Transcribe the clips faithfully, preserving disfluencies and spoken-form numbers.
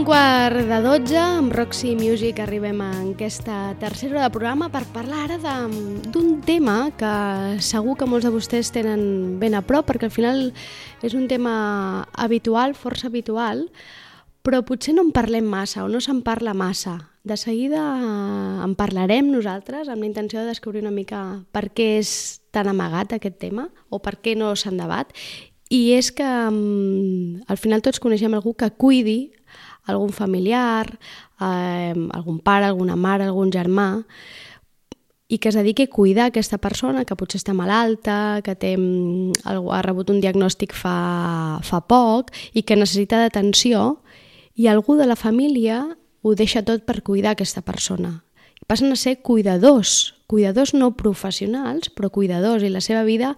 un quart de dotze, amb Roxy Music arribem a aquesta tercera hora de programa per parlar ara d'un tema que segur que molts de vostès tenen ben a prop, perquè al final és un tema habitual, força habitual, però potser no en parlem massa o no se'n parla massa. De seguida en parlarem nosaltres amb la intenció de descobrir una mica per què és tan amagat aquest tema o per què no se'n debat. I és que um, al final tots coneixem algú que cuidi algun familiar, eh, algun pare, alguna mare, algun germà, i que es dediqui a cuidar aquesta persona que potser està malalta, que té, ha rebut un diagnòstic fa, fa poc i que necessita d'atenció, i algú de la família ho deixa tot per cuidar aquesta persona. I passen a ser cuidadors, cuidadors no professionals, però cuidadors, i la seva vida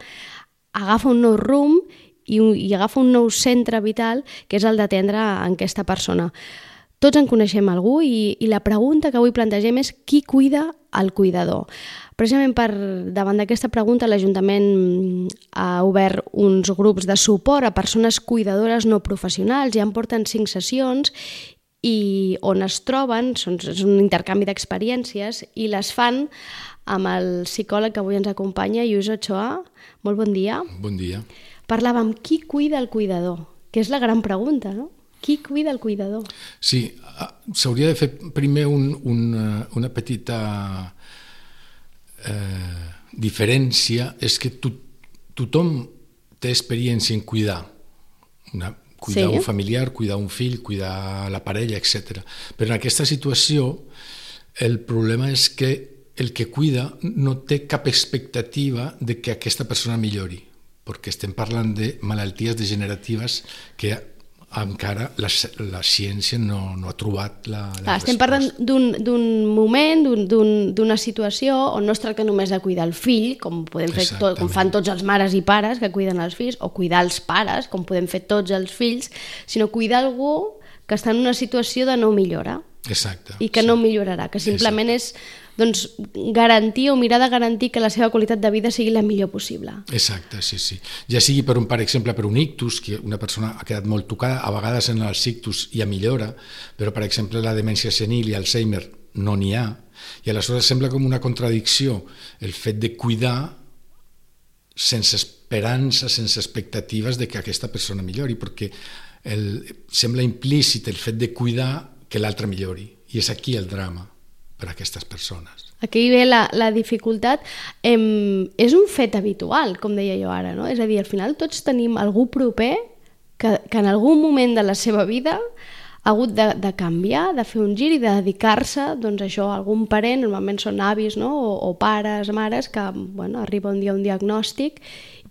agafa un nou rumb i, i agafa un nou centre vital, que és el d'atendre a aquesta persona. Tots en coneixem algú i, i la pregunta que avui plantegem és qui cuida el cuidador. Precisament per davant d'aquesta pregunta l'Ajuntament ha obert uns grups de suport a persones cuidadores no professionals, ja en porten cinc sessions, i on es troben, són, és un intercanvi d'experiències, i les fan amb el psicòleg que avui ens acompanya, Lluís Ochoa. Molt bon dia. Bon dia. Parlàvem qui cuida el cuidador, que és la gran pregunta, no? Qui cuida el cuidador? Sí, s'hauria de fer primer un, una, una petita eh, diferència, és que to, tothom té experiència en cuidar, una, cuidar sí. un familiar, cuidar un fill, cuidar la parella, etcètera. Però en aquesta situació el problema és que el que cuida no té cap expectativa de que aquesta persona millori, perquè estem parlant de malalties degeneratives que encara la, la ciència no, no ha trobat la, la Clar, estem parlant d'un moment, d'una situació on no es tracta només de cuidar el fill, com, podem fer tot, com fan tots els mares i pares que cuiden els fills, o cuidar els pares, com podem fer tots els fills, sinó cuidar algú que està en una situació de no millora. Exacte. I que sí. no millorarà, que simplement Exacte. és doncs, garantir o mirar de garantir que la seva qualitat de vida sigui la millor possible. Exacte, sí, sí. Ja sigui, per un, per exemple, per un ictus, que una persona ha quedat molt tocada, a vegades en els ictus hi ha millora, però, per exemple, la demència senil i Alzheimer no n'hi ha, i aleshores sembla com una contradicció el fet de cuidar sense esperança, sense expectatives de que aquesta persona millori, perquè el, sembla implícit el fet de cuidar que l'altre millori, i és aquí el drama per a aquestes persones. Aquí ve la, la dificultat. Em, és un fet habitual, com deia jo ara, no? És a dir, al final tots tenim algú proper que, que en algun moment de la seva vida ha hagut de, de canviar, de fer un gir i de dedicar-se doncs, a això, a algun parent, normalment són avis, no? o, o pares, mares, que bueno, arriba un dia un diagnòstic,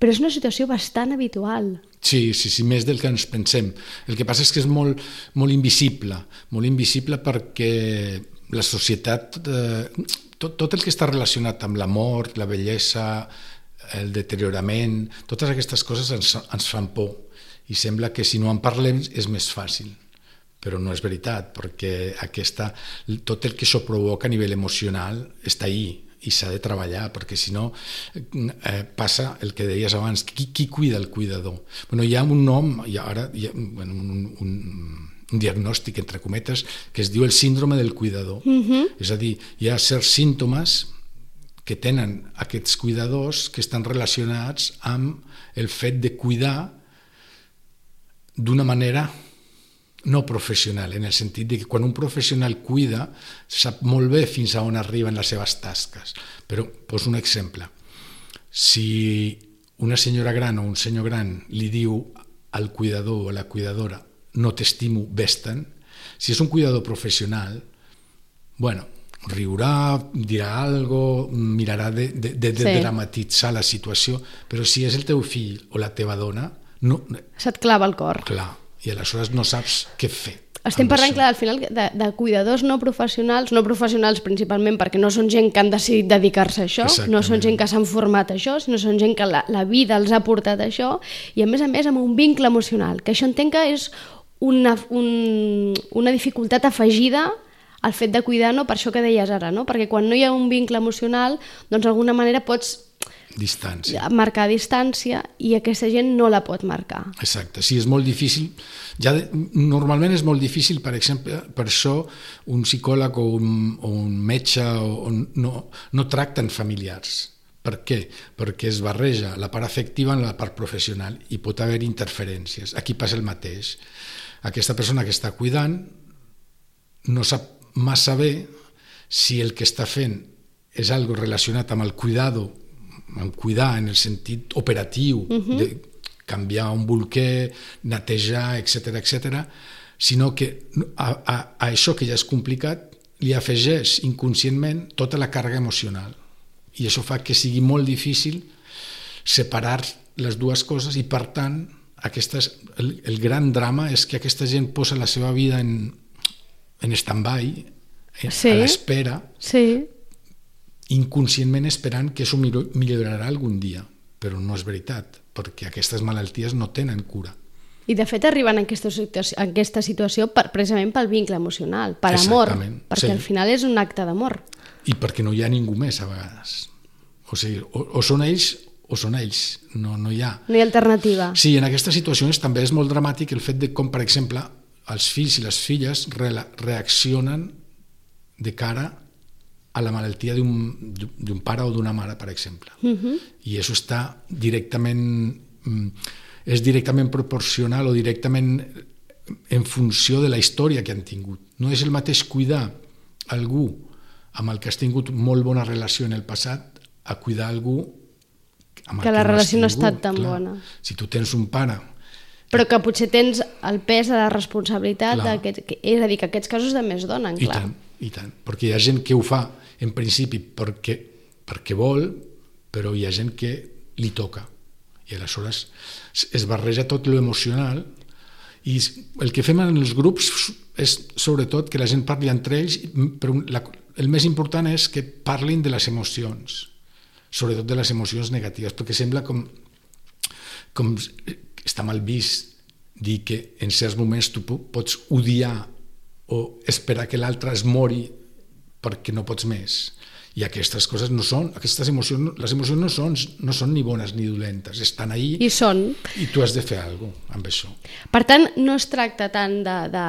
però és una situació bastant habitual. Sí, sí, sí, més del que ens pensem. El que passa és que és molt, molt invisible, molt invisible perquè la societat, eh, tot, tot el que està relacionat amb la mort, la vellesa, el deteriorament, totes aquestes coses ens, ens fan por i sembla que si no en parlem és més fàcil, però no és veritat, perquè aquesta, tot el que això provoca a nivell emocional està ahí i s'ha de treballar, perquè si no eh, passa el que deies abans, qui, qui cuida el cuidador? Bueno, hi ha un nom, i ara hi ha bueno, un, un, un diagnòstic, entre cometes, que es diu el síndrome del cuidador. Uh-huh. És a dir, hi ha certs símptomes que tenen aquests cuidadors que estan relacionats amb el fet de cuidar d'una manera no professional, en el sentit de que quan un professional cuida sap molt bé fins a on arriben les seves tasques. Però poso un exemple. Si una senyora gran o un senyor gran li diu al cuidador o a la cuidadora no t'estimo, vés-te'n, si és un cuidador professional, bueno, riurà, dirà alguna cosa, mirarà de, de, de, de sí. dramatitzar la situació, però si és el teu fill o la teva dona, no, se't clava el cor. Clar, i aleshores no saps què fer. Estem parlant, clar, al final de, de cuidadors no professionals, no professionals principalment perquè no són gent que han decidit dedicar-se a això, Exactament. no són gent que s'han format a això, sinó són gent que la, la vida els ha portat a això, i a més a més amb un vincle emocional, que això entenc que és una, un, una dificultat afegida al fet de cuidar, no? Per això que deies ara, no? Perquè quan no hi ha un vincle emocional, doncs d'alguna manera pots Distància. marcar distància, i aquesta gent no la pot marcar. Exacte, sí, és molt difícil. Ja de, normalment és molt difícil, per exemple, per això un psicòleg o un, o un metge o, o no, no tracten familiars. Per què? Perquè es barreja la part afectiva amb la part professional i pot haver interferències. Aquí passa el mateix. Aquesta persona que està cuidant no sap massa bé si el que està fent és algo relacionat amb el cuidado, amb cuidar en el sentit operatiu, uh-huh. de canviar un bolquer, netejar, etcètera, etcètera, sinó que a, a, a això que ja és complicat li afegeix inconscientment tota la càrrega emocional. I això fa que sigui molt difícil separar les dues coses i, per tant, aquestes, el, el gran drama és que aquesta gent posa la seva vida en, en stand-by, sí. a l'espera, sí. inconscientment esperant que això millorarà algun dia, però no és veritat, perquè aquestes malalties no tenen cura. I de fet arriben en aquesta situació, en aquesta situació per, precisament pel vincle emocional, per amor, perquè sí. al final és un acte d'amor. I perquè no hi ha ningú més a vegades. O sigui, o, o són ells o són ells, no, no hi ha. No hi ha alternativa. Sí, en aquestes situacions també és molt dramàtic el fet de com, per exemple, els fills i les filles re reaccionen de cara a la malaltia d'un pare o d'una mare, per exemple. Uh-huh. I això està directament, és directament proporcional o directament en funció de la història que han tingut. No és el mateix cuidar algú amb el que has tingut molt bona relació en el passat a cuidar algú amb el que, que la no relació no ha estat tingut. tan Clar, bona. Si tu tens un pare... Però que potser tens el pes de la responsabilitat, que, és a dir, que aquests casos de més donen, clar. I tant, i tant, perquè hi ha gent que ho fa en principi perquè, perquè vol, però hi ha gent que li toca. I aleshores es barreja tot lo emocional i el que fem en els grups és sobretot que la gent parli entre ells, però la, el més important és que parlin de les emocions, sobretot de les emocions negatives, perquè sembla com, com està mal vist dir que en certs moments tu pots odiar o esperar que l'altre es mori perquè no pots més. I aquestes coses no són, aquestes emocions, les emocions no són, no són ni bones ni dolentes, estan ahí i són. I tu has de fer alguna cosa amb això. Per tant, no es tracta tant de, de,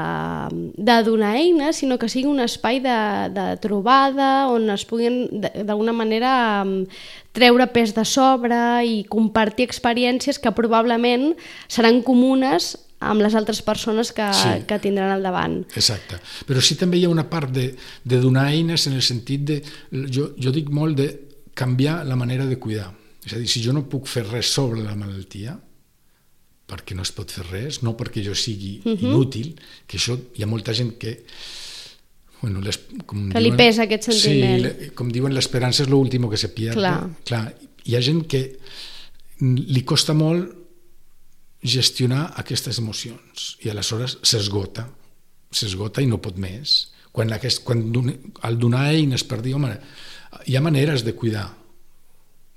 de donar eines, sinó que sigui un espai de, de trobada on es puguin d'alguna manera treure pes de sobre i compartir experiències que probablement seran comunes amb les altres persones que, sí. que tindran al davant. Exacte. Però sí també hi ha una part de, de donar eines en el sentit de... Jo, jo dic molt de canviar la manera de cuidar. És a dir, si jo no puc fer res sobre la malaltia, perquè no es pot fer res, no perquè jo sigui uh-huh. inútil, que això hi ha molta gent que... Bueno, les, com que diuen, li pesa aquest sentiment. Sí, com diuen, l'esperança és l'últim que se pierde. Clar. Clar. Hi ha gent que li costa molt gestionar aquestes emocions i aleshores s'esgota s'esgota i no pot més quan, aquest, quan al donar eines per dir, home, hi ha maneres de cuidar,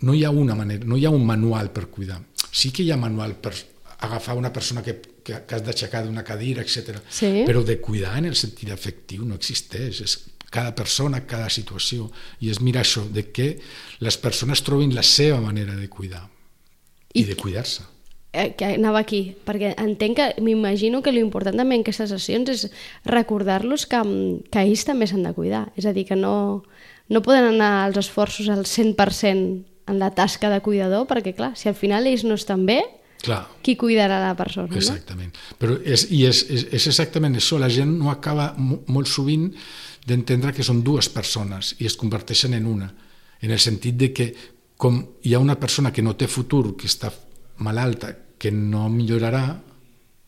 no hi ha una manera, no hi ha un manual per cuidar, sí que hi ha manual per agafar una persona que, que, que has d'aixecar d'una cadira, etcètera. Sí. Però de cuidar en el sentit afectiu no existeix, és cada persona, cada situació, i és mirar això, de que les persones trobin la seva manera de cuidar i, i de cuidar-se. Que anava aquí, perquè entenc que m'imagino que l'important també en aquestes sessions és recordar-los que, que ells també s'han de cuidar, és a dir, que no, no poden anar els esforços al cent per cent en la tasca de cuidador, perquè clar, si al final ells no estan bé, clar, qui cuidarà la persona? Exactament, no? Però és, i és, és, és exactament això, la gent no acaba molt sovint d'entendre que són dues persones i es converteixen en una, en el sentit de que com hi ha una persona que no té futur, que està malalta, que no millorarà,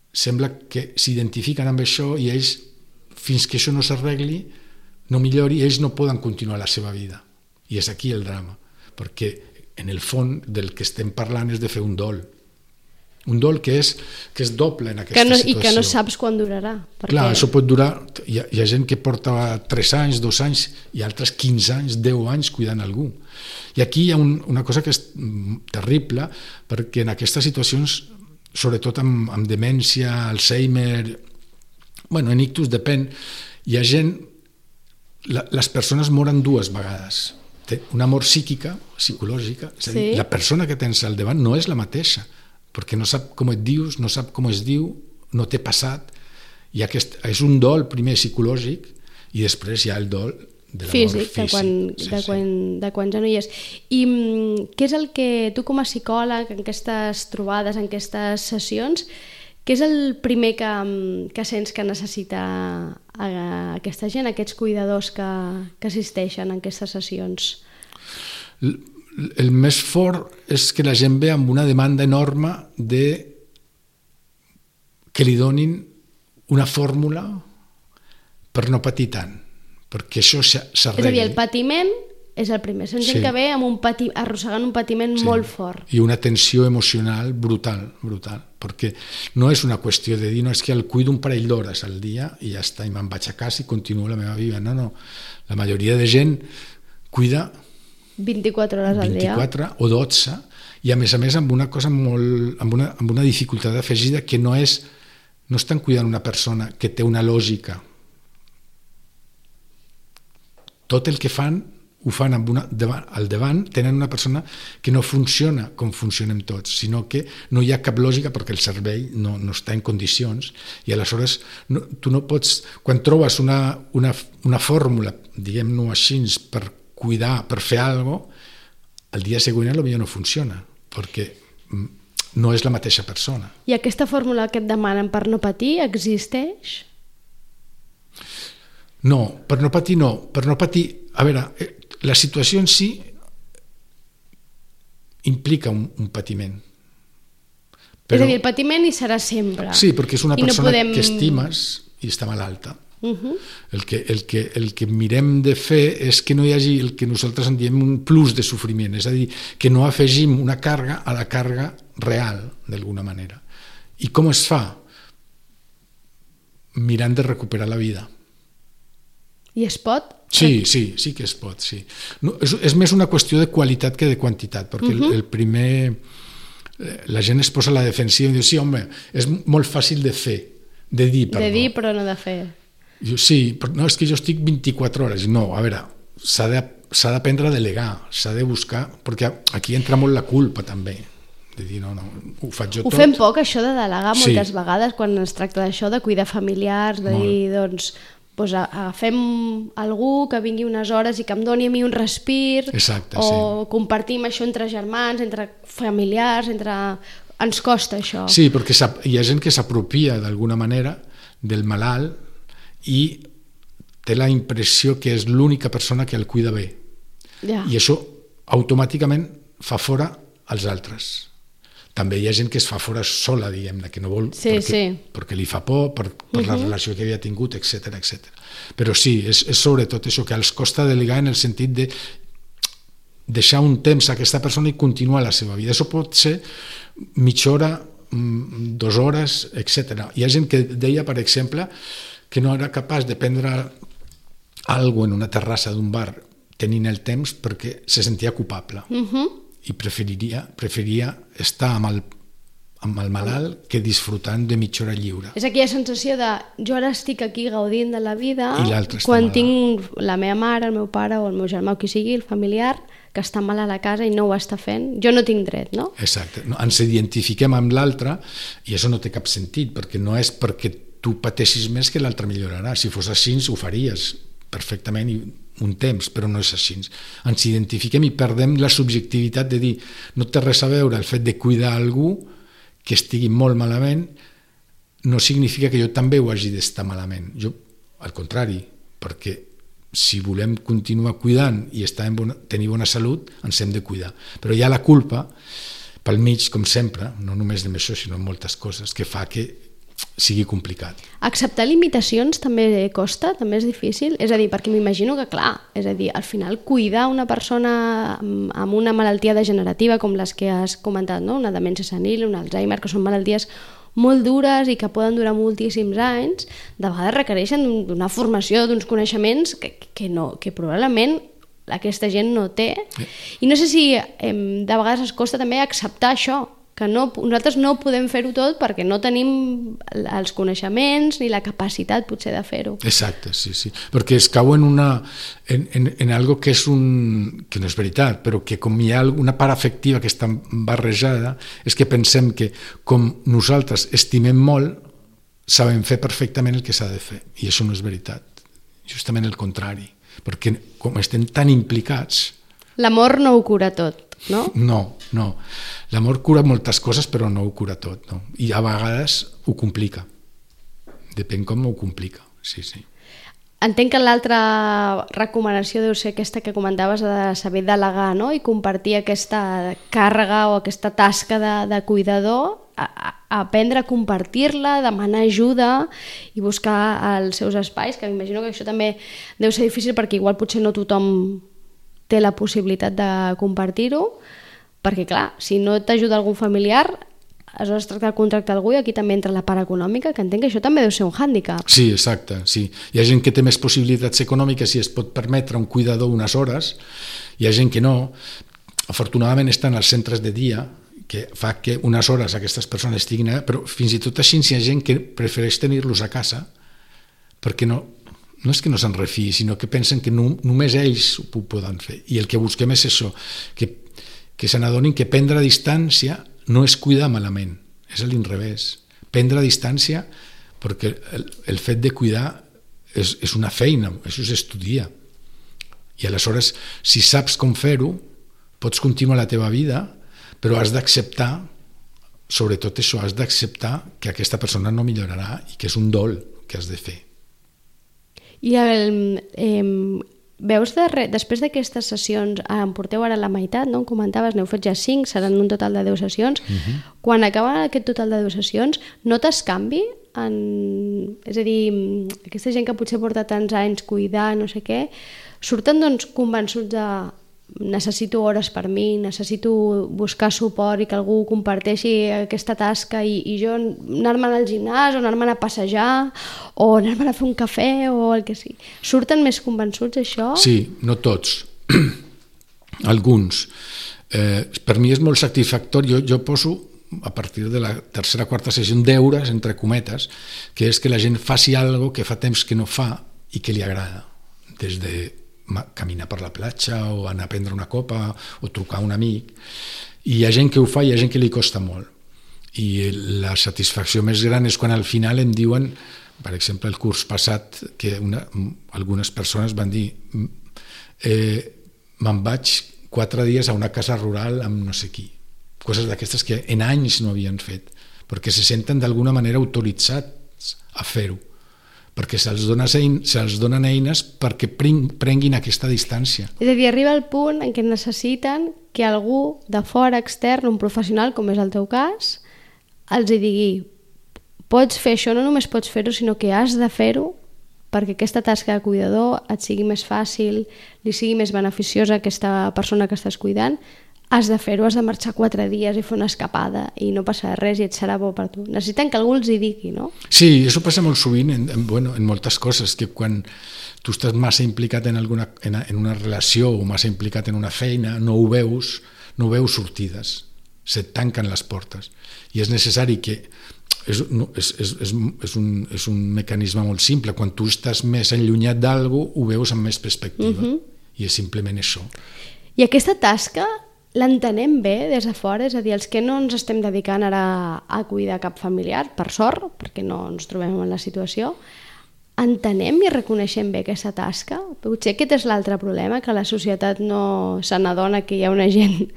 sembla que s'identifiquen amb això i ells, fins que això no s'arregli, no millori, ells no poden continuar la seva vida. I és aquí el drama, perquè en el fons del que estem parlant és de fer un dol. Un dol que és, que és doble en aquesta que no, situació. I que no saps quan durarà. Perquè... Clar, això pot durar... Hi ha, hi ha gent que porta tres anys, dos anys, i altres quinze anys, deu anys cuidant algú. I aquí hi ha un, una cosa que és terrible, perquè en aquestes situacions, sobretot amb, amb demència, Alzheimer, bueno, en ictus depèn, hi ha gent... La, les persones moren dues vegades. una mort psíquica, psicològica, és a dir, Sí. la persona que tens al davant no és la mateixa, perquè no sap com et dius, no sap com es diu, no té passat, i aquest, és un dol primer psicològic i després hi ha el dol de la físic, mort físic. de quan, Sí, de, sí. quan, de quan ja no hi és. I mm, què és el que tu com a psicòleg, en aquestes trobades, en aquestes sessions, què és el primer que, mm, que sents que necessita a, a aquesta gent, aquests cuidadors que, que assisteixen en aquestes sessions? El, el més fort és que la gent ve amb una demanda enorme de que li donin una fórmula per no patir tant, perquè això s'arregli. És a dir, el patiment és el primer. Són gent Sí. que ve amb un pati, arrossegant un patiment Sí. molt fort. I una tensió emocional brutal, brutal, perquè no és una qüestió de dir, no, és que el cuido un parell d'hores al dia i ja està, i me'n vaig a casa i continuo la meva vida. No, no, la majoria de gent cuida vint-i-quatre hores al dia. vint-i-quatre o dotze, i a més a més amb una cosa molt, amb una, amb una dificultat afegida que no és, no estan cuidant una persona que té una lògica. Tot el que fan ho fan amb una, davant, al davant tenen una persona que no funciona com funcionem tots, sinó que no hi ha cap lògica perquè el cervell no, no està en condicions, i aleshores no, tu no pots, quan trobes una, una, una fórmula, diguem-ho així, per cuidar, per fer alguna cosa, el dia següent potser no funciona, perquè no és la mateixa persona. I aquesta fórmula que et demanen per no patir existeix? No, per no patir no, per no patir, a veure, la situació en si implica un, un patiment. Però... És a dir, el patiment hi serà sempre. Sí, perquè és una I no persona podem... que estimes i està malalta. Uh-huh. El que, el, que, el que mirem de fer és que no hi hagi el que nosaltres en diem un plus de sofriment, és a dir, que no afegim una càrrega a la càrrega real, d'alguna manera. I com es fa? Mirant de recuperar la vida. I es pot? Sí, sí, sí que es pot, sí. No, és, és més una qüestió de qualitat que de quantitat, perquè uh-huh. el, el primer... La gent es posa a la defensiva i diu, sí, home, és molt fàcil de fer, de dir, perdó. De dir, però no de fer. Diu, sí, però no, és que jo estic vint-i-quatre hores. No, a veure, s'ha de, s'ha d'aprendre a delegar, s'ha de buscar, perquè aquí entra molt la culpa també, de dir, no, no, ho faig jo ho tot. Ho fem poc, això de delegar, Sí. moltes vegades, quan es tracta d'això, de cuidar familiars, de Molt. dir, doncs, doncs agafem algú que vingui unes hores i que em doni a mi un respir, Exacte, o sí. compartim això entre germans, entre familiars, entre... Ens costa això. Sí, perquè s'ap- hi ha gent que s'apropia d'alguna manera del malalt i té la impressió que és l'única persona que el cuida bé. Ja. I això automàticament fa fora els altres. També hi ha gent que es fa fora sola, diguem-ne, que no vol, Sí, perquè, sí. perquè li fa por, per, per la relació que havia tingut, etcètera, etcètera. Però sí, és, és sobretot això, que els costa delegar en el sentit de deixar un temps a aquesta persona i continuar la seva vida. Això pot ser mitja hora, mm, dues hores, etcètera. Hi ha gent que deia, per exemple, que no era capaç de prendre alguna cosa en una terrassa d'un bar tenint el temps perquè se sentia culpable. Uh-huh. I preferiria, preferiria estar amb el, amb el malalt que disfrutant de mitja hora lliure. És aquella sensació de jo ara estic aquí gaudint de la vida I l'altre està quan malalt. tinc la meva mare, el meu pare o el meu germà o qui sigui, el familiar, que està mal a la casa i no ho està fent. Jo no tinc dret, no? Exacte. No, ens identifiquem amb l'altre i això no té cap sentit, perquè no és perquè tu pateixis més que l'altre millorarà. Si fos així, ho faries perfectament i un temps, però no és així. Ens identifiquem i perdem la subjectivitat de dir no té res a veure el fet de cuidar algú que estigui molt malament, no significa que jo també ho hagi d'estar malament. Jo, al contrari, perquè si volem continuar cuidant i estar en bona, tenir bona salut, ens hem de cuidar. Però hi ha la culpa pel mig, com sempre, no només de això, sinó en moltes coses, que fa que sigui complicat. Acceptar limitacions també costa, també és difícil? És a dir, perquè m'imagino que, clar, és a dir, al final cuidar una persona amb amb una malaltia degenerativa com les que has comentat, no? Una demència senil, un Alzheimer, que són malalties molt dures i que poden durar moltíssims anys, de vegades requereixen d'una formació, d'uns coneixements que, que, no, que probablement aquesta gent no té. I no sé si eh, de vegades es costa també acceptar això, que no, nosaltres no podem fer-ho tot perquè no tenim els coneixements ni la capacitat potser de fer-ho. Exacte, sí, sí, perquè es cau en, una, en, en, en algo que és un, que no és veritat, però que com hi ha una part afectiva que està barrejada, és que pensem que com nosaltres estimem molt, sabem fer perfectament el que s'ha de fer, i això no és veritat, justament el contrari, perquè com estem tan implicats... L'amor no ho cura tot. No? No, no. L'amor cura moltes coses, però no ho cura tot. No? I a vegades ho complica. Depèn com ho complica. Sí, sí. Entenc que l'altra recomanació deu ser aquesta que comentaves de saber delegar, no? I compartir aquesta càrrega o aquesta tasca de, de cuidador, a, a aprendre a compartir-la, demanar ajuda i buscar els seus espais, que m'imagino que això també deu ser difícil perquè igual potser no tothom té la possibilitat de compartir-ho, perquè clar, si no t'ajuda algun familiar, aleshores tracta de contractar algú i aquí també entra la part econòmica, que entenc que això també deu ser un hàndicap. Sí, exacte, sí. Hi ha gent que té més possibilitats econòmiques i es pot permetre un cuidador unes hores, hi ha gent que no. Afortunadament estan als centres de dia, que fa que unes hores aquestes persones estiguin allà, però fins i tot així hi ha gent que prefereix tenir-los a casa perquè no... no és que no se'n refiï, sinó que pensen que no, només ells ho poden fer. I el que busquem és això, que, que se n'adonin que prendre distància no és cuidar malament, és a l'inrevés. Prendre distància perquè el, el fet de cuidar és, és una feina, això s'estudia. I aleshores, si saps com fer-ho, pots continuar la teva vida, però has d'acceptar, sobretot això, has d'acceptar que aquesta persona no millorarà i que és un dol que has de fer. I el, eh, veus de re, després d'aquestes sessions, en porteu ara la meitat, no? Em comentaves, n'heu fet ja cinc, seran un total de deu sessions. Uh-huh. Quan acaba aquest total de deu sessions, notes canvi? En, és a dir, aquesta gent que potser porta tants anys cuidar, no sé què, surten doncs convençuts de necessito hores per mi, necessito buscar suport i que algú comparteixi aquesta tasca i, i jo anar-me'n al gimnàs o anar-me'n a passejar o anar-me'n a fer un cafè o el que sigui. Surten més convençuts això? Sí, no tots. Alguns. Eh, per mi és molt satisfactori. Jo, jo poso a partir de la tercera o quarta sessió deures, entre cometes, que és que la gent faci alguna que fa temps que no fa i que li agrada. Des de caminar per la platja o anar a prendre una copa o trucar a un amic, i hi ha gent que ho fa i hi ha gent que li costa molt, i la satisfacció més gran és quan al final em diuen, per exemple el curs passat, que una, algunes persones van dir eh, me'n vaig quatre dies a una casa rural amb no sé qui, coses d'aquestes que en anys no havien fet, perquè se senten d'alguna manera autoritzats a fer-ho, perquè se'ls dona, se'ls donen eines perquè prenguin aquesta distància. És a dir, arriba el punt en què necessiten que algú de fora, extern, un professional, com és el teu cas, els hi digui pots fer això, no només pots fer-ho, sinó que has de fer-ho perquè aquesta tasca de cuidador et sigui més fàcil, li sigui més beneficiosa a aquesta persona que estàs cuidant, has de fer-ho, has de marxar quatre dies i fer una escapada i no passarà res i et serà bo per tu. Necessiten que algú els hi digui, no? Sí, això passa molt sovint en, en, bueno, en moltes coses, que quan tu estàs massa implicat en, alguna, en, en una relació o massa implicat en una feina, no ho veus, no ho veus sortides, se't tanquen les portes. I és necessari que... És, no, és, és, és, és, un, és un mecanisme molt simple. Quan tu estàs més enllunyat d'algú, ho veus amb més perspectiva. Uh-huh. I és simplement això. I aquesta tasca l'entenem bé des de fora, és a dir, els que no ens estem dedicant ara a cuidar cap familiar, per sort, perquè no ens trobem en la situació, entenem i reconeixem bé aquesta tasca? Potser aquest és l'altre problema, que la societat no se n'adona que hi ha una gent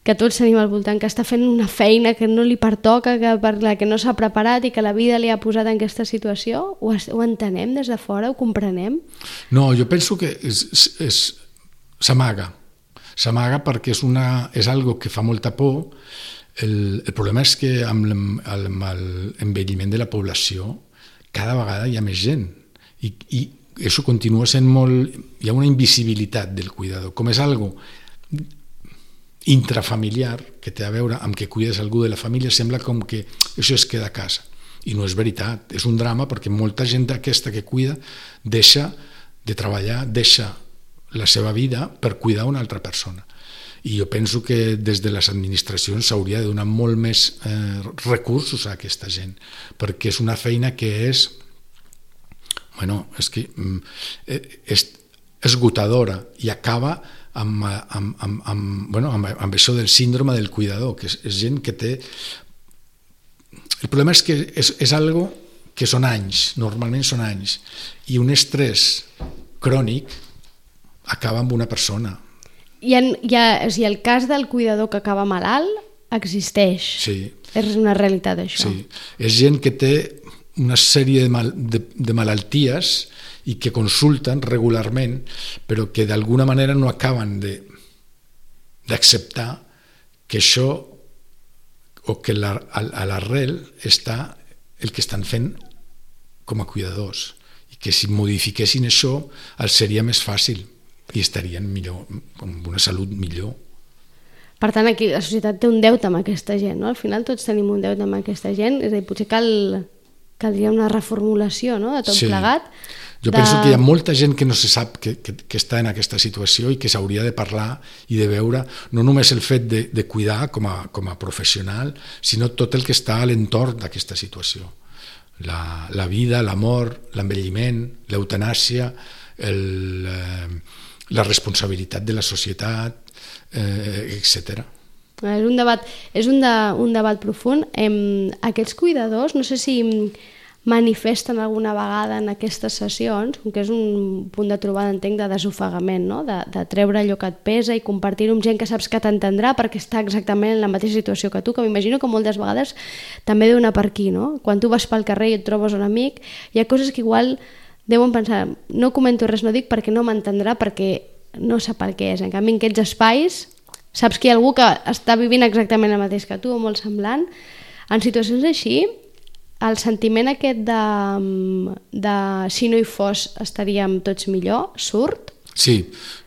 que tots tenim al voltant, que està fent una feina que no li pertoca, que per la que no s'ha preparat i que la vida li ha posat en aquesta situació. Ho, ho entenem des de fora? Ho comprenem? No, jo penso que és, és, s'amaga. S'amaga perquè és, una, és algo que fa molta por. El, el problema és que amb l'envelliment de la població cada vegada hi ha més gent i, i això continua sent molt... Hi ha una invisibilitat del cuidador, com és algo intrafamiliar que té a veure amb que cuides algú de la família, sembla com que això es queda a casa. I no és veritat, és un drama perquè molta gent d'aquesta que cuida deixa de treballar, deixa la seva vida per cuidar una altra persona. I jo penso que des de les administracions s'hauria de donar molt més eh, recursos a aquesta gent, perquè és una feina que és, bueno, és que és esgotadora i acaba amb, amb, amb, amb, bueno, amb, amb això del síndrome del cuidador, que és, és gent que té... El problema és que és, és algo que són anys, normalment són anys, i un estrès crònic acaba amb una persona. I, en, hi ha, o sigui, el cas del cuidador que acaba malalt existeix. Sí. És una realitat, això. Sí. És gent que té una sèrie de, mal, de, de malalties i que consulten regularment, però que d'alguna manera no acaben de, d'acceptar que això, o que la, a l'arrel està el que estan fent com a cuidadors, i que si modifiquessin això els seria més fàcil i estarien millor, amb una salut millor. Per tant, aquí la societat té un deute amb aquesta gent, no? Al final tots tenim un deute amb aquesta gent, és a dir, potser cal, caldria una reformulació, no?, de tot sí. plegat. Jo de... penso que hi ha molta gent que no se sap que, que, que està en aquesta situació i que s'hauria de parlar i de veure no només el fet de, de cuidar com a, com a professional, sinó tot el que està a l'entorn d'aquesta situació. La, la vida, l'amor, l'envelliment, l'eutanàsia, el, eh, la responsabilitat de la societat, eh, etcètera. És un debat, és un, de, un debat profund. Eh, aquests cuidadors, no sé si manifesten alguna vegada en aquestes sessions, com que és un punt de trobada, entenc, de desofegament, no? de, de treure allò que et pesa i compartir-ho amb gent que saps que t'entendrà perquè està exactament en la mateixa situació que tu, que m'imagino que moltes vegades també deu anar per aquí, no? Quan tu vas pel carrer i et trobes un amic, hi ha coses que igual deuen pensar, no comento res, no dic perquè no m'entendrà, perquè no sap el que és. En canvi, en aquests espais saps que hi ha algú que està vivint exactament el mateix que tu o molt semblant. En situacions així, el sentiment aquest de, de si no hi fos estaríem tots millor, surt? Sí,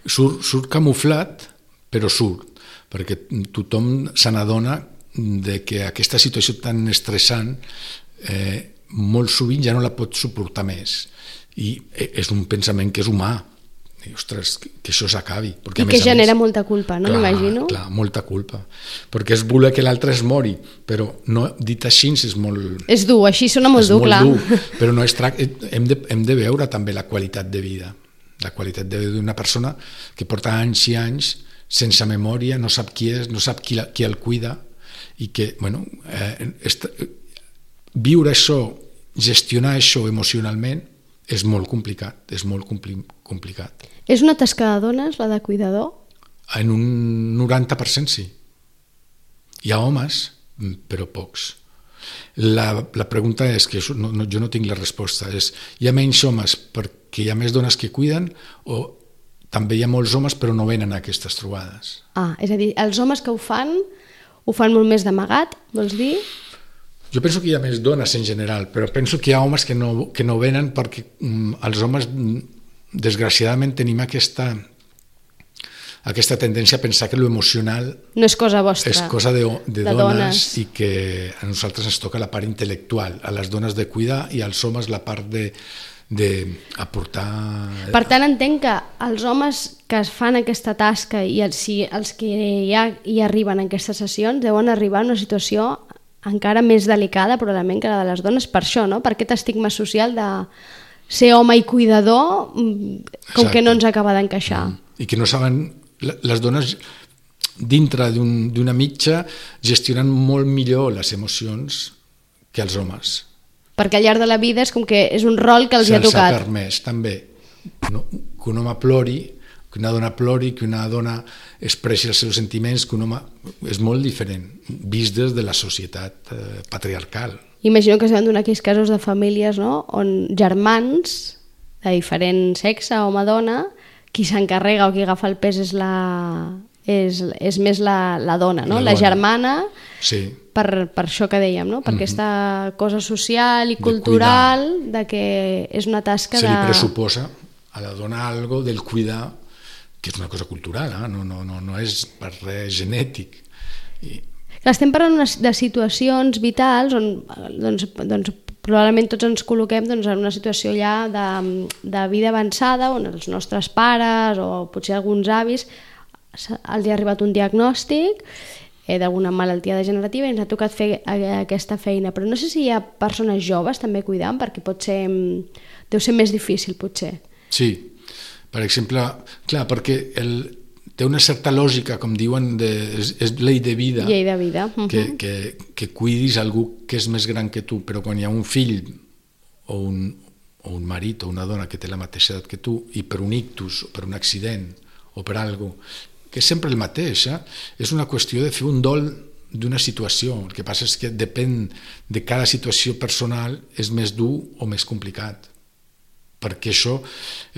surt, surt camuflat, però surt, perquè tothom se n'adona de que aquesta situació tan estressant eh, molt sovint ja no la pot suportar més. I és un pensament que és humà. I, ostres, que, que això s'acabi. I que genera molta culpa, no? M'imagino. Clar, molta culpa. Perquè és voler que l'altre es mori, però no, dit així és molt... És dur, així sona molt dur, clar. És molt dur, però no es tracta... Hem de, hem de veure també la qualitat de vida. La qualitat de vida d'una persona que porta anys i anys sense memòria, no sap qui és, no sap qui, la, qui el cuida, i que, bueno, eh, est... viure això, gestionar això emocionalment, és molt complicat, és molt compli complicat. És una tasca de dones, la de cuidador? En un noranta per cent sí. Hi ha homes, però pocs. La, la pregunta és, que no, no, jo no tinc la resposta, és hi ha menys homes perquè hi ha més dones que cuiden o també hi ha molts homes però no venen a aquestes trobades? Ah, és a dir, els homes que ho fan, ho fan molt més d'amagat, vols dir? Jo penso que hi ha més dones en general, però penso que hi ha homes que no, que no venen perquè mm, els homes, desgraciadament, tenim aquesta, aquesta tendència a pensar que l'emocional no és cosa vostra, és cosa de, de, de dones, dones, i que a nosaltres ens toca la part intel·lectual, a les dones de cuidar i als homes la part de, de aportar... Per tant, entenc que els homes que es fan aquesta tasca i els, si els que ja hi arriben en aquestes sessions deuen arribar a una situació encara més delicada probablement que la de les dones, per això, no? Per aquest estigma social de ser home i cuidador, com Exacte. Que no ens acaba d'encaixar. I que no saben, les dones dintre d'una un, mitja gestionen molt millor les emocions que els homes. Perquè al llarg de la vida és com que és un rol que els hi ha tocat. Se'ls ha permès, també, no? Que un home plori, que una dona plori, que una dona expressi els seus sentiments, que un home... És molt diferent, vist des de la societat eh, patriarcal. Imagino que s'han donat aquells casos de famílies, no?, on germans de diferent sexe, home-dona, qui s'encarrega o qui agafa el pes és la... És, és més la, la dona, no? La, la germana, sí. per, per això que dèiem, no? Per mm-hmm. aquesta cosa social i de cultural cuidar. De que és una tasca Se de... Se li pressuposa a la dona algo del cuidar, que és una cosa cultural, eh? no, no, no, no és per res genètic. I... Estem parlant de situacions vitals on doncs, doncs, probablement tots ens col·loquem doncs, en una situació ja de, de vida avançada on els nostres pares o potser alguns avis els ha arribat un diagnòstic eh, d'alguna malaltia degenerativa i ens ha tocat fer aquesta feina. Però no sé si hi ha persones joves també cuidant, perquè pot ser, deu ser més difícil, potser. Sí, per exemple, clar, perquè el, té una certa lògica, com diuen, de, és, és llei de vida, llei de vida. Uh-huh. que, que, que cuidis algú que és més gran que tu, però quan hi ha un fill o un, o un marit o una dona que té la mateixa edat que tu i per un ictus o per un accident o per alguna cosa, que és sempre el mateix, eh? És una qüestió de fer un dol d'una situació. El que passa és que depèn de cada situació personal, és més dur o més complicat, perquè això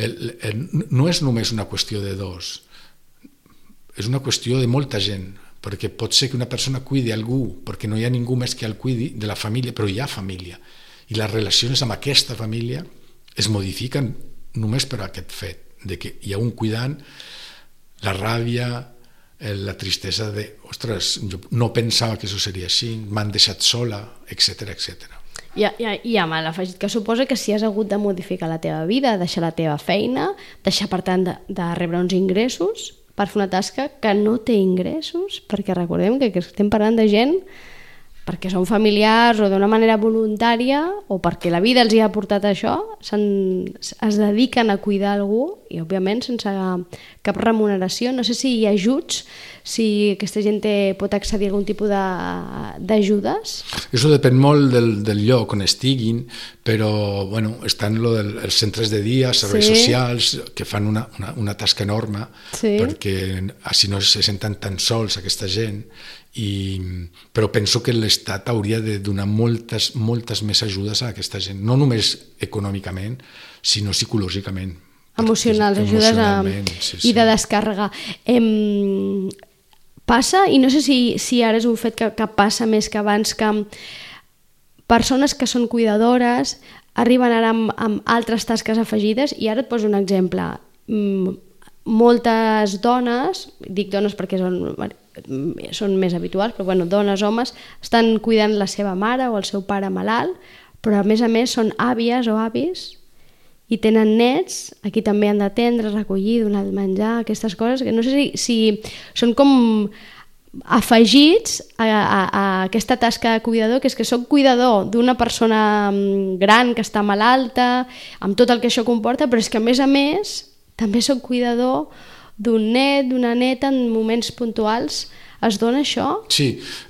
el, el, no és només una qüestió de dos, és una qüestió de molta gent, perquè pot ser que una persona cuidi algú perquè no hi ha ningú més que el cuidi de la família, però hi ha família i les relacions amb aquesta família es modifiquen només per aquest fet de que hi ha un cuidant, la ràbia, la tristesa de ostres, jo no pensava que això seria així, m'han deixat sola, etcètera, etcètera. I, i, i amb l'afegit que suposa que si has hagut de modificar la teva vida, deixar la teva feina, deixar per tant de, de rebre uns ingressos per fer una tasca que no té ingressos, perquè recordem que, que estem parlant de gent perquè són familiars o d'una manera voluntària o perquè la vida els hi ha portat això, es dediquen a cuidar algú i òbviament sense cap remuneració. No sé si hi ha ajuts, si aquesta gent té, pot accedir a algun tipus d'ajudes. Això depèn molt del, del lloc on estiguin, però bueno, estan lo del, els centres de dia, serveis sí. socials, que fan una, una, una tasca enorme sí. perquè així no se senten tan sols aquesta gent. I, però penso que l'Estat hauria de donar moltes, moltes més ajudes a aquesta gent, no només econòmicament, sinó psicològicament. Emocionals, ajudes a, sí, sí. i de descàrrega. Em, passa, i no sé si, si ara és un fet que, que passa més que abans, que persones que són cuidadores arriben ara amb, amb altres tasques afegides, i ara et poso un exemple. Moltes dones, dic dones perquè són... són més habituals, però bueno, dones, homes, estan cuidant la seva mare o el seu pare malalt, però a més a més són àvies o avis i tenen nets, aquí també han d'atendre, recollir, donar el menjar, aquestes coses, que no sé si, si són com afegits a, a, a aquesta tasca de cuidador, que és que soc cuidador d'una persona gran que està malalta, amb tot el que això comporta, però és que a més a més també soc cuidador d'un net, d'una neta, en moments puntuals. Es dona això? Sí,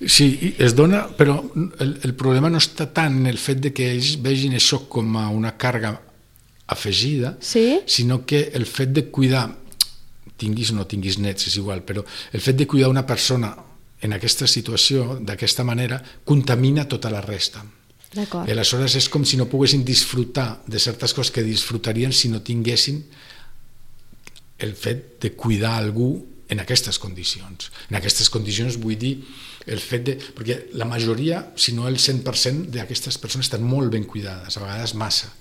sí, es dona, però el, el problema no està tant en el fet de que ells vegin això com a una càrrega afegida, sí? sinó que el fet de cuidar, tinguis o no tinguis nets, és igual, però el fet de cuidar una persona en aquesta situació, d'aquesta manera, contamina tota la resta. D'acord. I aleshores és com si no poguessin disfrutar de certes coses que disfrutarien si no tinguessin el fet de cuidar algú en aquestes condicions. En aquestes condicions vull dir el fet de... Perquè la majoria, si no el cent per cent d'aquestes persones estan molt ben cuidades, a vegades massa.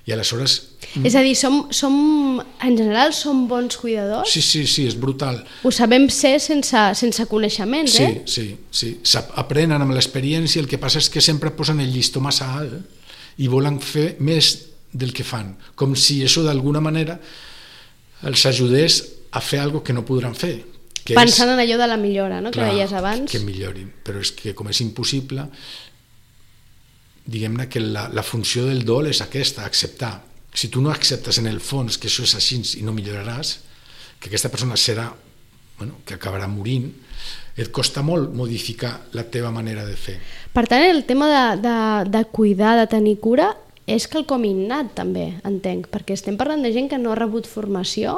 I aleshores... És a dir, som, som, en general som bons cuidadors? Sí, sí, sí, és brutal. Ho sabem ser sense, sense coneixements, sí, eh? Sí, sí, sí. Aprenen amb l'experiència, el que passa és que sempre posen el llistó massa alt i volen fer més del que fan, com si això d'alguna manera els ajudés a fer alguna que no podran fer. Que Pensant és, en allò de la millora, no? Clar, que deies abans. Que millorin, però és que com és impossible, diguem-ne que la, la funció del dol és aquesta, acceptar. Si tu no acceptes en el fons que això és així i no milloraràs, que aquesta persona serà, bueno, que acabarà morint, et costa molt modificar la teva manera de fer. Per tant, el tema de, de, de cuidar, de tenir cura, és quelcom innat també, entenc, perquè estem parlant de gent que no ha rebut formació,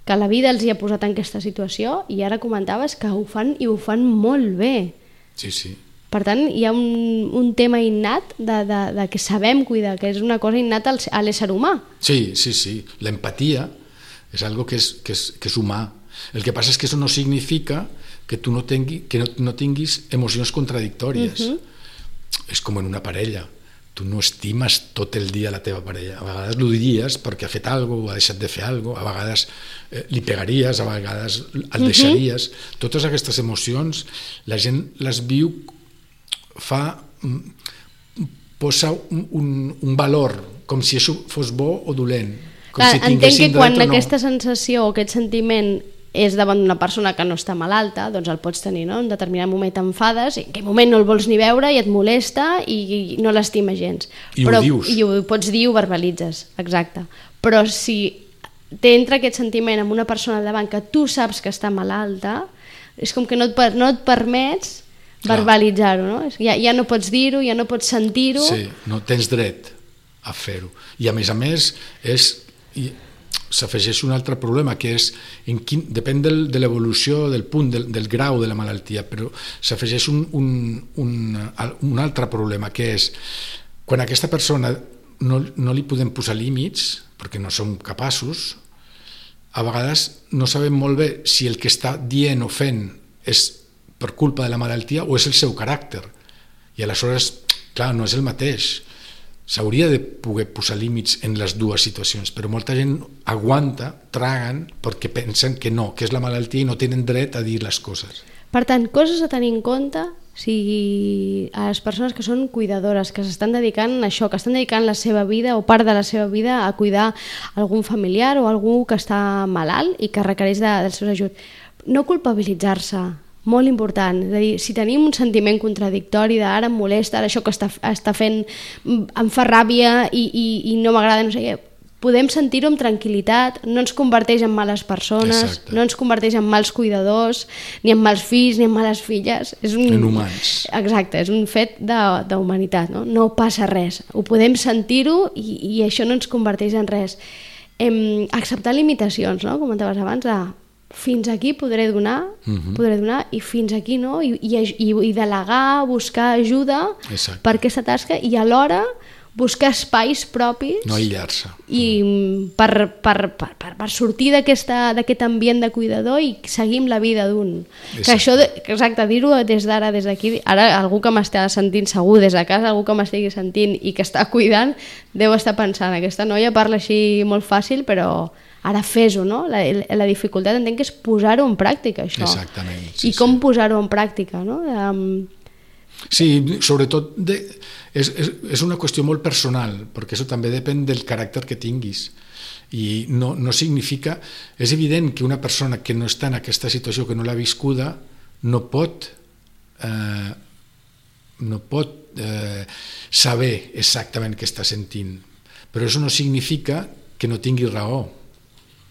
que la vida els hi ha posat en aquesta situació i ara comentaves que ho fan i ho fan molt bé. Sí, sí. Per tant, hi ha un, un tema innat de, de, de que sabem cuidar, que és una cosa innata a l'ésser humà. Sí, sí, sí. L'empatia és algo que és, que, és, que és humà. El que passa és que això no significa que tu no, tingui, que no, no tinguis emocions contradictòries. Uh-huh. És com en una parella. Tu no estimes tot el dia la teva parella. A vegades l'ho diries perquè ha fet alguna cosa, ha deixat de fer alguna cosa, a vegades eh, li pegaries, a vegades el deixaries. Uh-huh. Totes aquestes emocions la gent les viu, fa, posa un, un, un valor, com si això fos bo o dolent. Com Clar, si entenc que quan no. aquesta sensació o aquest sentiment és davant d'una persona que no està malalta, doncs el pots tenir, no? En determinat moment t'enfades, en aquell moment no el vols ni veure i et molesta i, i no l'estima gens. I però, ho dius. I ho pots dir i ho verbalitzes, exacte. Però si t'entra aquest sentiment amb una persona al davant que tu saps que està malalta, és com que no et, no et permets verbalitzar-ho, no? Ja, ja no pots dir-ho, ja no pots sentir-ho. Sí, no tens dret a fer-ho. I a més a més, és, s'afegeix un altre problema, que és, en quin, depèn del, de l'evolució, del punt, del, del grau de la malaltia, però s'afegeix un, un, un, un altre problema, que és, quan aquesta persona no, no li podem posar límits, perquè no som capaços, a vegades no sabem molt bé si el que està dient o fent és per culpa de la malaltia o és el seu caràcter. I aleshores, clar, no és el mateix. S'hauria de poder posar límits en les dues situacions, però molta gent aguanta, traguen, perquè pensen que no, que és la malaltia i no tenen dret a dir les coses. Per tant, coses a tenir en compte, o sigui, a les persones que són cuidadores, que s'estan dedicant a això, que estan dedicant la seva vida o part de la seva vida a cuidar algun familiar o algú que està malalt i que requereix de, del seu ajut. No culpabilitzar-se, molt important, és a dir, si tenim un sentiment contradictori de ara em molesta, ara això que està, està fent em fa ràbia i, i, i no m'agrada, no sé què, podem sentir-ho amb tranquil·litat, no ens converteix en males persones, exacte, no ens converteix en mals cuidadors, ni en mals fills, ni en males filles. És un, en humans. Exacte, és un fet d'humanitat, no? No passa res, ho podem sentir-ho i, i això no ens converteix en res. Em, acceptar limitacions, no? Comentaves abans, de fins aquí podré donar, uh-huh. podré donar i fins aquí no, i, i, i, i delegar, buscar ajuda exacte, per aquesta tasca i alhora buscar espais propis, no aïllar-se, i per, per, per, per, per sortir d'aquest ambient de cuidador i seguir amb la vida d'un. Que això, exacte, dir-ho des d'ara, des d'aquí, ara algú que m'està sentint segur des de casa, algú que m'estigui sentint i que està cuidant, deu estar pensant, aquesta noia parla així molt fàcil, però ara fes-ho, no? La, la dificultat entenc que és posar-ho en pràctica, això. Exactament. Sí, I com sí. posar-ho en pràctica, no? Um... Sí, sobretot de, és, és, és una qüestió molt personal, perquè això també depèn del caràcter que tinguis. I no, no significa... És evident que una persona que no està en aquesta situació, que no l'ha viscuda, no pot, eh, no pot eh, saber exactament què està sentint. Però això no significa que no tingui raó.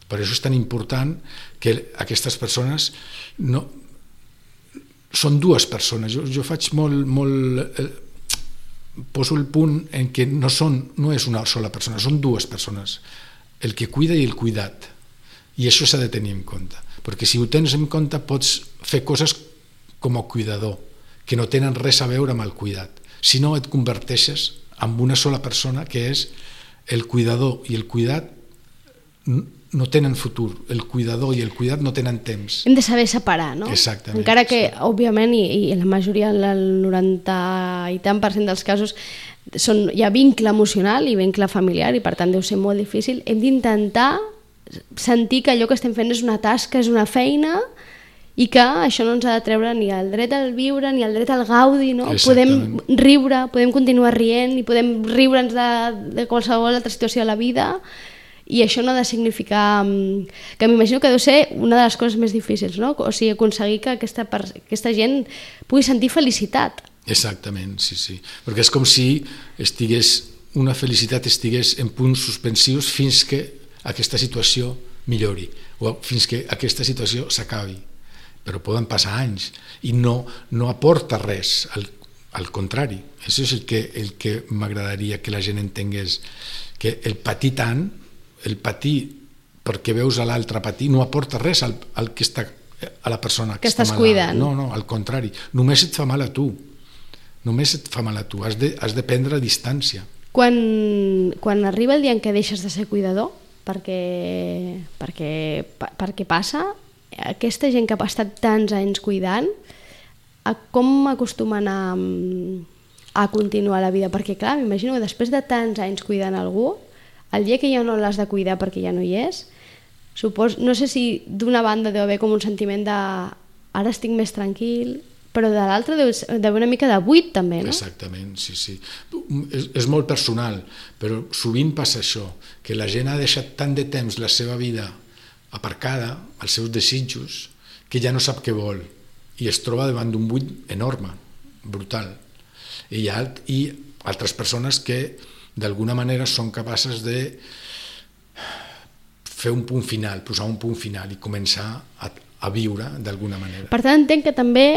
Per això és tan important que aquestes persones no, són dues persones. Jo, jo faig molt, molt eh, poso el punt en què no, són, no és una sola persona, són dues persones, el que cuida i el cuidat, i això s'ha de tenir en compte, perquè si ho tens en compte pots fer coses com a cuidador que no tenen res a veure amb el cuidat, si no et converteixes en una sola persona que és el cuidador i el cuidat no tenen futur, el cuidador i el cuidat no tenen temps. Hem de saber separar, no? Exactament. Encara que, sí. òbviament, i, i la majoria, el noranta i tant per cent dels casos, són, hi ha vincle emocional i vincle familiar i per tant deu ser molt difícil, hem d'intentar sentir que allò que estem fent és una tasca, és una feina i que això no ens ha de treure ni el dret al viure ni el dret al gaudi, no? Podem riure, podem continuar rient i podem riure'ns de, de qualsevol altra situació de la vida. I això no ha de significar... que m'imagino que deu ser una de les coses més difícils, no? O sigui, aconseguir que aquesta, aquesta gent pugui sentir felicitat. Exactament, sí, sí. Perquè és com si estigués, una felicitat estigués en punts suspensius fins que aquesta situació millori o fins que aquesta situació s'acabi. Però poden passar anys i no, no aporta res, al, al contrari. Això és el que, el que m'agradaria que la gent entengués, que el patir tant, el patir perquè veus a l'altre patir no aporta res al, al que està, a la persona que, que està estàs cuidant. No, no, al contrari, només et fa mal a tu, només et fa mal a tu, has de, has de prendre distància. Quan, quan arriba el dia en què deixes de ser cuidador, perquè, perquè, perquè passa, aquesta gent que ha estat tants anys cuidant, a com acostumen a, a continuar la vida? Perquè clar, m'imagino que després de tants anys cuidant algú, el dia que ja no l'has de cuidar perquè ja no hi és, supos, no sé si d'una banda deu haver com un sentiment de ara estic més tranquil, però de l'altra deu haver una mica de buit també, no? Exactament, sí, sí. És, és molt personal, però sovint passa això, que la gent ha deixat tant de temps la seva vida aparcada als seus desitjos, que ja no sap què vol i es troba davant d'un buit enorme, brutal. I hi ha i altres persones que d'alguna manera són capaces de fer un punt final, posar un punt final i començar a, a viure d'alguna manera. Per tant, entenc que també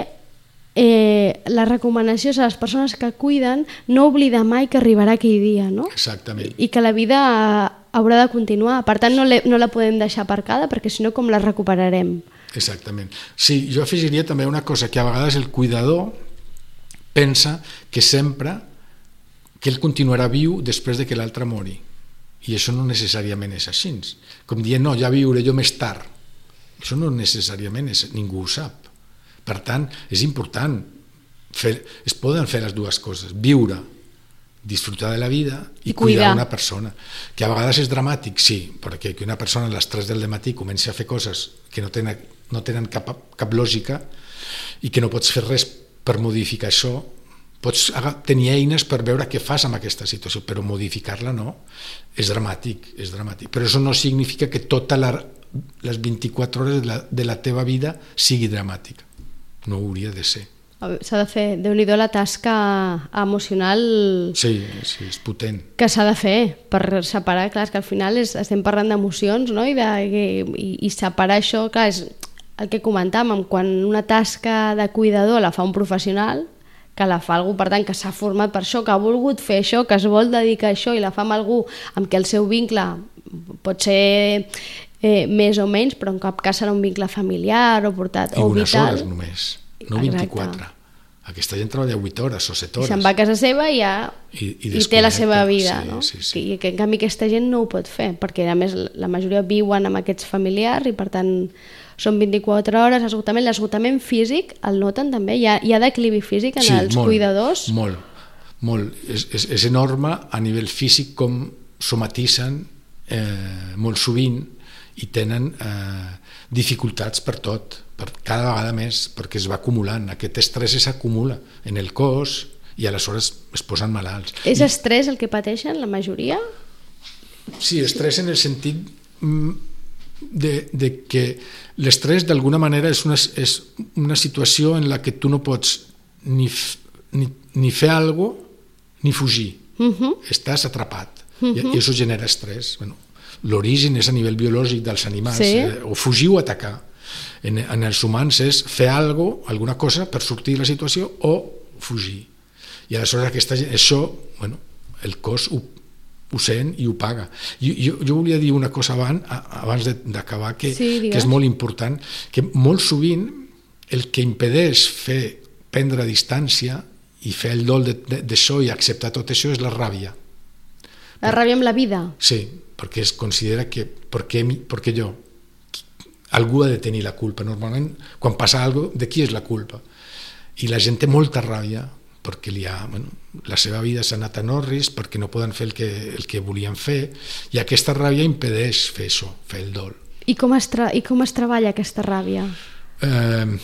eh, la recomanació és a les persones que cuiden no oblidar mai que arribarà aquell dia, no? Exactament. I que la vida haurà de continuar. Per tant, no, no la podem deixar aparcada, perquè si no, com la recuperarem? Exactament. Sí, jo afegiria també una cosa, que a vegades el cuidador pensa que sempre que ell continuarà viu després de que l'altre mori. I això no necessàriament és així. Com dient, no, ja viuré jo més tard. Això no necessàriament és, ningú ho sap. Per tant, és important. Fer, es poden fer les dues coses. Viure, disfrutar de la vida i, I cuidar una persona. Que a vegades és dramàtic, sí, perquè que una persona a les tres del matí comenci a fer coses que no tenen, no tenen cap, cap lògica i que no pots fer res per modificar això, pots tenir eines per veure què fas amb aquesta situació, però modificar-la no, és dramàtic, és dramàtic. Però això no significa que totes les vint-i-quatre hores de la, de la teva vida sigui dramàtica. No hauria de ser. S'ha de fer, Déu-n'hi-do, la tasca emocional... Sí, sí, és potent. Que s'ha de fer per separar, clar, és que al final és, estem parlant d'emocions, no? I, de, i, i separar això, clar, és el que comentàvem, quan una tasca de cuidador la fa un professional, que la fa algú, per tant, que s'ha format per això, que ha volgut fer això, que es vol dedicar a això i la fa amb algú amb què el seu vincle pot ser eh, més o menys, però en cap cas serà un vincle familiar o portat I o unes vital. hores només, no vint-i-quatre. Aquesta gent treballa vuit hores o set hores. I se'n va a casa seva i ja I, i, i té la seva vida, sí, no? Sí, sí. I que en canvi aquesta gent no ho pot fer, perquè a més la majoria viuen amb aquests familiars i per tant són vint-i-quatre hores, esgotament. L'esgotament físic el noten també? Hi ha, hi ha declivi físic en sí, els molt, cuidadors? molt, molt. És, és, és enorme a nivell físic com somatitzen eh, molt sovint i tenen eh, dificultats per tot, per cada vegada més, perquè es va acumulant. Aquest estrès s'acumula en el cos i aleshores es posen malalts. És I, estrès el que pateixen la majoria? Sí, estrès en el sentit de, de que l'estrès d'alguna manera és una, és una situació en la que tu no pots ni, ni, ni fer alguna cosa ni fugir. Uh-huh. Estàs atrapat. Uh-huh. I, i això genera estrès. Bueno, l'origen és a nivell biològic dels animals, sí. eh, o fugir o atacar. En, en els humans és fer alguna cosa, alguna cosa per sortir de la situació o fugir. I aleshores aquesta, això, bueno, el cos ho ho sent i ho paga. Jo, jo, jo volia dir una cosa abans, abans d'acabar, que, sí, que és molt important, que molt sovint el que impedeix fer prendre distància i fer el dol d'això i acceptar tot això és la ràbia. La ràbia amb la vida? Sí, perquè es considera que perquè, perquè jo, algú ha de tenir la culpa. Normalment, quan passa alguna cosa, de qui és la culpa? I la gent té molta ràbia perquè li ha, bueno, la seva vida s'ha anat a Norris, perquè no poden fer el que, el que volien fer, i aquesta ràbia impedeix fer això, fer el dol. I com es, tra i com es treballa aquesta ràbia? Eh,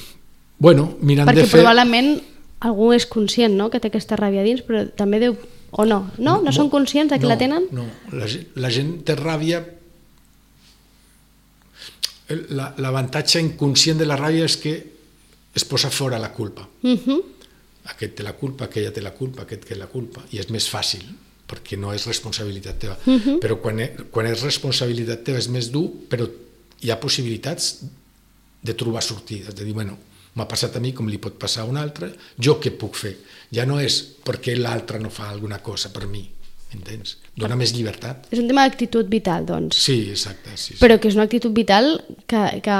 bueno, mirant perquè de fer... probablement algú és conscient, no?, que té aquesta ràbia dins, però també deu... o no? No? No, no són conscients de que no, la tenen? No, la, la gent té ràbia... L'avantatge inconscient de la ràbia és que es posa fora la culpa. Uh-huh. Aquest té la culpa, aquella té la culpa, aquest té la culpa, i és més fàcil, perquè no és responsabilitat teva. Uh-huh. Però quan, quan és responsabilitat teva és més dur, però hi ha possibilitats de trobar sortides, de dir, bueno, m'ha passat a mi com li pot passar a un altre, jo què puc fer? Ja no és perquè l'altre no fa alguna cosa per mi, entens? Dona més llibertat. És un tema d'actitud vital, doncs. Sí, exacte. Sí, sí. Però que és una actitud vital que, que,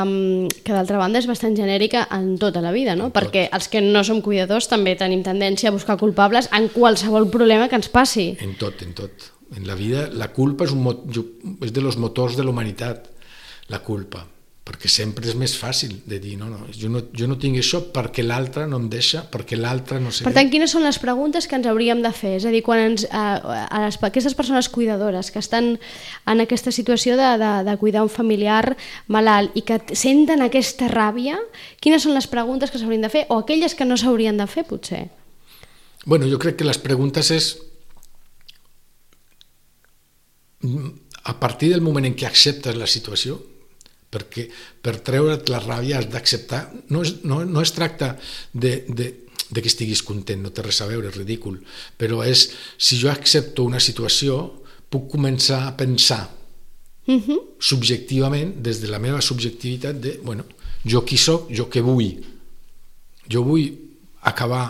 que d'altra banda és bastant genèrica en tota la vida, no? En perquè tot. Els que no som cuidadors també tenim tendència a buscar culpables en qualsevol problema que ens passi. En tot, en tot. En la vida la culpa és, un mot, és de los motors de la humanitat, la culpa. Perquè sempre és més fàcil de dir, no, no, jo no, jo no tinc això perquè l'altre no em deixa, perquè l'altre no sé... Per tant, quines són les preguntes que ens hauríem de fer? És a dir, quan ens, a, a les, a aquestes persones cuidadores que estan en aquesta situació de, de, de cuidar un familiar malalt i que senten aquesta ràbia, quines són les preguntes que s'haurien de fer o aquelles que no s'haurien de fer, potser? Bueno, jo crec que les preguntes és... A partir del moment en què acceptes la situació, perquè per treure't la ràbia has d'acceptar, no es, no, no es tracta de, de, de que estiguis content, no té res a veure, és ridícul, però és, si jo accepto una situació, puc començar a pensar uh-huh. subjectivament, des de la meva subjectivitat de, bueno, jo qui soc, jo què vull, jo vull acabar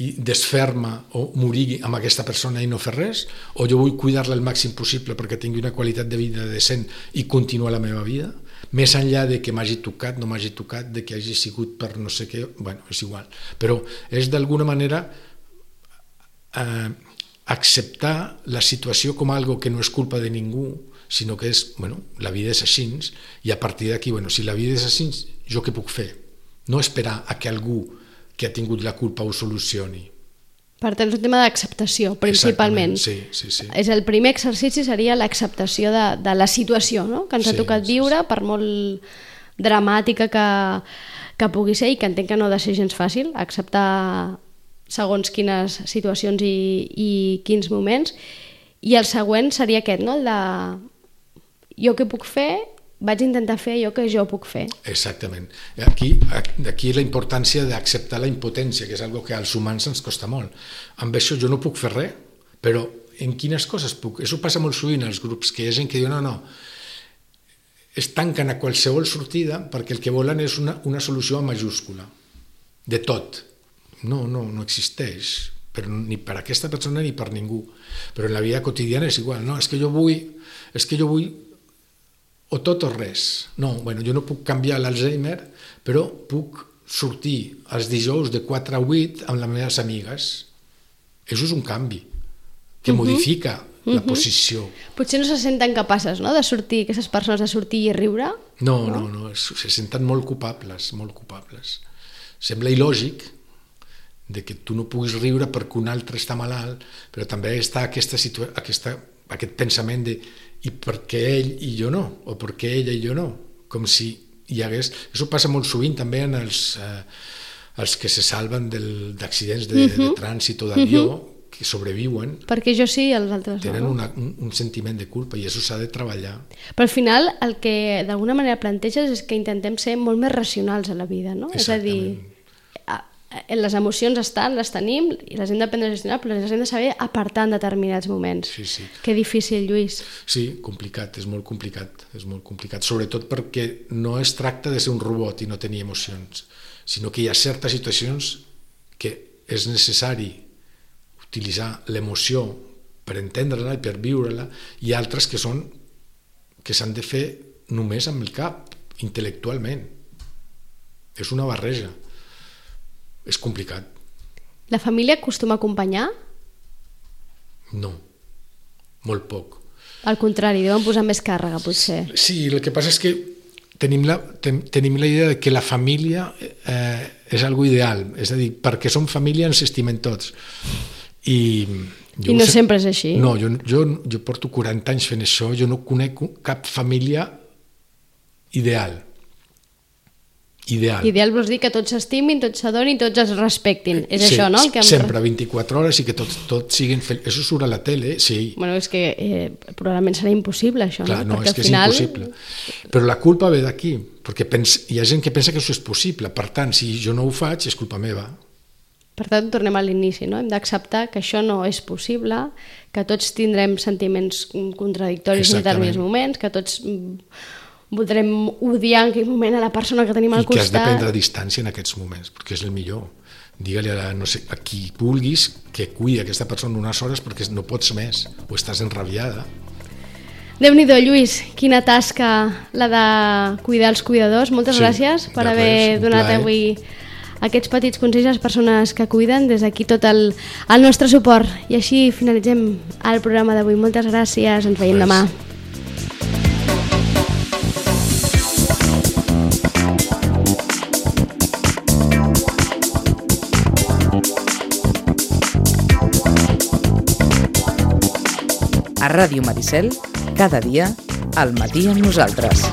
i desfer-me o morir amb aquesta persona i no fer res, o jo vull cuidar-la el màxim possible perquè tingui una qualitat de vida decent i continuar la meva vida, més enllà de que m'hagi tocat, no m'hagi tocat, de que hagi sigut per no sé què, bueno, és igual, però és d'alguna manera eh, acceptar la situació com algo que no és culpa de ningú, sinó que és, bueno, la vida és així, i a partir d'aquí, bueno, si la vida és així, jo què puc fer? No esperar a que algú que ha tingut la culpa ho solucioni. Per tant, és un tema d'acceptació, principalment. Sí, sí, sí. És el primer exercici seria l'acceptació de, de la situació, no? Que ens sí, ha tocat viure, sí, sí. Per molt dramàtica que, que pugui ser, i que entenc que no ha de ser gens fàcil, acceptar segons quines situacions i, i quins moments. I el següent seria aquest, no? El de jo què puc fer, vaig intentar fer allò que jo puc fer. Exactament. Aquí, aquí la importància d'acceptar la impotència, que és una cosa que als humans ens costa molt. Amb això jo no puc fer res, però en quines coses puc? Això passa molt sovint als grups, que hi ha gent que diu no, no, es tanquen a qualsevol sortida perquè el que volen és una, una solució a majúscula, de tot. No, no, no existeix, però ni per a aquesta persona ni per ningú. Però en la vida quotidiana és igual, no, és que jo vull, és que jo vull o tot o res. No, bueno, jo no puc canviar l'Alzheimer, però puc sortir els dijous de quatre a vuit amb les meves amigues. Això és un canvi que uh-huh. modifica la uh-huh. posició. Potser no se senten capaces, no?, de sortir, aquestes persones de sortir i riure? No, no, no, no se senten molt culpables, molt culpables. Sembla il·lògic de que tu no puguis riure perquè un altre està malalt, però també està aquesta situa- aquesta, aquest pensament de i per què ell i jo no, o per què ella i jo no, com si hi hagués... Això passa molt sovint també en els, eh, els que se salven del, d'accidents de, uh-huh. de trànsit o d'avió, uh-huh. que sobreviuen. Perquè jo sí i els altres no. Tenen una, un, un sentiment de culpa i això s'ha de treballar. Però al final el que d'alguna manera planteges és que intentem ser molt més racionals a la vida, no? Exactament. És a dir, les emocions estan, les tenim i les hem d'aprendre a gestionar, però les hem de saber apartar en determinats moments. Sí, sí. Que difícil, Lluís. Sí, complicat, és molt complicat, és molt complicat, sobretot perquè no es tracta de ser un robot i no tenir emocions, sinó que hi ha certes situacions que és necessari utilitzar l'emoció per entendre-la i per viure-la, i altres que són que s'han de fer només amb el cap, intel·lectualment. És una barreja. És complicat. La família acostuma a acompanyar? No, molt poc. Al contrari, deuen posar més càrrega, potser. Sí, el que passa és que tenim la, ten, tenim la idea de que la família eh, és algo ideal, és a dir, perquè som família ens estimem tots. I, jo I no sé, sempre és així. No, jo, jo, jo porto quaranta anys fent això, jo no conec cap família ideal. Ideal. Ideal vols dir que tots s'estimin, tots s'adonin, tots es respectin. És sí, això, no? El que em... sempre, vint-i-quatre hores i que tots, tots siguin feliços. Això surt a la tele, sí. Bueno, és que eh, probablement serà impossible, això, Clar, no? no, Perquè és que final... és impossible. Però la culpa ve d'aquí, perquè pens... hi ha gent que pensa que això és possible. Per tant, si jo no ho faig, és culpa meva. Per tant, tornem a l'inici, no? Hem d'acceptar que això no és possible, que tots tindrem sentiments contradictoris en determinats moments, que tots voldrem odiar en aquell moment a la persona que tenim al costat. I que has de prendre distància en aquests moments, perquè és el millor. Digue-li a, no sé, a qui vulguis que cuidi aquesta persona unes hores perquè no pots més, o estàs enrabiada. Déu-n'hi-do, Lluís, quina tasca la de cuidar els cuidadors. Moltes sí, gràcies per haver res, donat plaer. Avui aquests petits consells a les persones que cuiden. Des d'aquí tot el, el nostre suport. I així finalitzem el programa d'avui. Moltes gràcies, ens veiem res. demà. A Ràdio Maricel, cada dia, al matí amb nosaltres.